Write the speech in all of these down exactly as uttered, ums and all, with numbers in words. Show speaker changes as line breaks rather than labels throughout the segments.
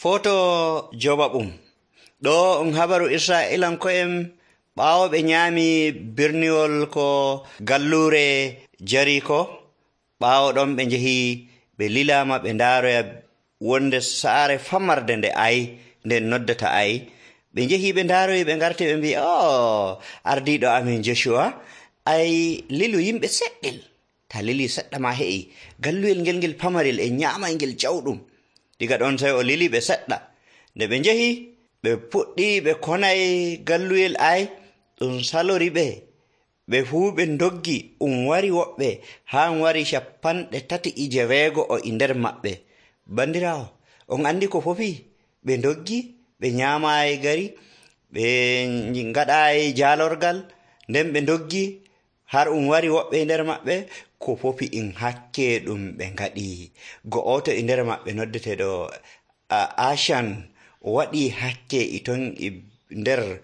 Foto joɓaɓum ɗo um habaru Isra'ilanko'en ɓaawo ɓe nyaami birniwol ko gallure Jariko. Ɓaawo ɗon ɓe njehi ɓe lilaama ɓe ndaaroya wonde saare famarde nde Ayi nde noddata Ayi. Ɓe njehi ɓe ndaaroyi ɓe ngarti ɓe mbi o ardiiɗo amin Joshuwa ay lilu yimɓe seɗɗel. Ta lili seɗɗa ma he'i galluyel ngel ngel pamarel e nyaamay ngel jawɗum. Diga ɗon tawi o lili ɓe seɗɗa. Nde ɓe njehi ɓe puɗɗi ɓe konay galluyel Ayi ɗum salori ɓe. Ɓe fuu ɓe ndoggi um wari woɓɓe haa um wari cappanɗe tati e jeweego o e nder maɓɓe. Bandiraawo on anndi ko fofi ɓe ndoggi ɓe nyaamaayi gari ɓe ngaɗaayi jaalorgal nden ɓe ndoggi har um wari woɓɓe e nder maɓɓe ko fofi in hakke ɗum ɓe ngaɗi. Go'oto e nder maɓɓe noddeteeɗo Ashan o waɗi hakke e ton e nder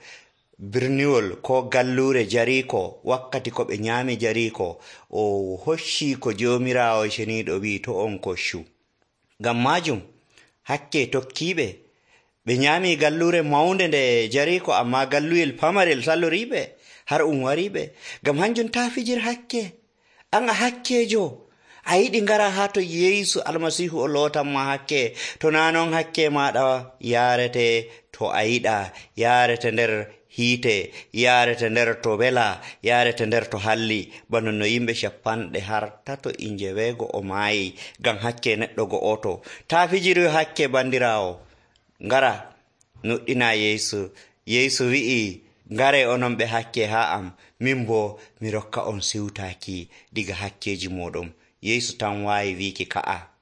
birniwol ko gallure Jariko wakkati ko ɓe nyaami Jariko o hoccii ko Joomiraawo ceniiɗo wi'i to on koccu. Ngam maajum hakke tokkiiɓe ɓe nyaami gallure mawnde nde Jariko ammaa galluyel pamarel saloriiɓe har um wariiɓe. Ngam hanjum taa fijir hakke an a hakkeejo a yiɗi ngara haa to Yeesu Almasiihu o lootanma hakke to naa non hakke maaɗa yaarete to a yiɗa yaarete nder hiite yaarete nder to wela yaarete nder to halli bano no yimɓe cappanɗe har tato e njeweego o maayi ngam hakke neɗɗo go'oto. Taa fijiri hakke bandiraawo ngara nuɗɗina Yeesu. Yeesu wi'i ngare onon ɓe hakke haa am min bo mi rokka on siwtaaki diga hakkeeji mooɗon. Yeesu tan waawi wiiki ka'a.